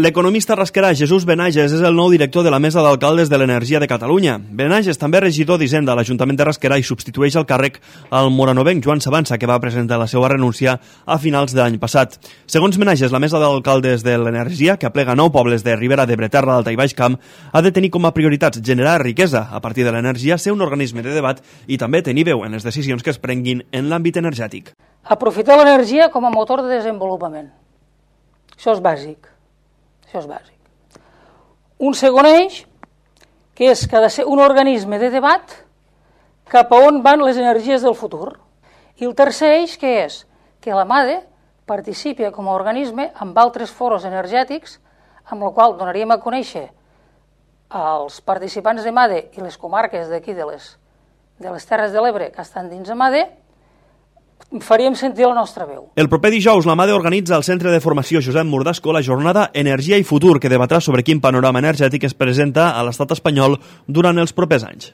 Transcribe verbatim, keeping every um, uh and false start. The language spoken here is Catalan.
L'economista rasquerà Jesús Benages és el nou director de la Mesa d'Alcaldes de l'Energia de Catalunya. Benages també és regidor d'Hisenda a l'Ajuntament de Rasquerà i substitueix al càrrec al moranovenc Joan Sabanza, que va presentar la seva renúncia a finals de l'any passat. Segons Benages, la Mesa d'Alcaldes de l'Energia, que aplega nou pobles de Ribera d'Ebre, Terra d'Alta i Baix Camp, ha de tenir com a prioritats generar riquesa a partir de l'energia, ser un organisme de debat i també tenir veu en les decisions que es prenguin en l'àmbit energètic. Aprofitar l'energia com a motor de desenvolupament. Això és bàsic. Això és bàsic. Un segon eix, que és que ha de ser un organisme de debat cap a on van les energies del futur. I el tercer eix, que és que la MADE participi com a organisme amb altres foros energètics, amb el qual donaríem a conèixer als participants de MADE i les comarques d'aquí de les, de les Terres de l'Ebre que estan dins de MADE, faríem sentir la nostra veu. El proper dijous, la MADE organitza al Centre de Formació Josep Murdasco la jornada Energia i Futur, que debatrà sobre quin panorama energètic es presenta a l'estat espanyol durant els propers anys.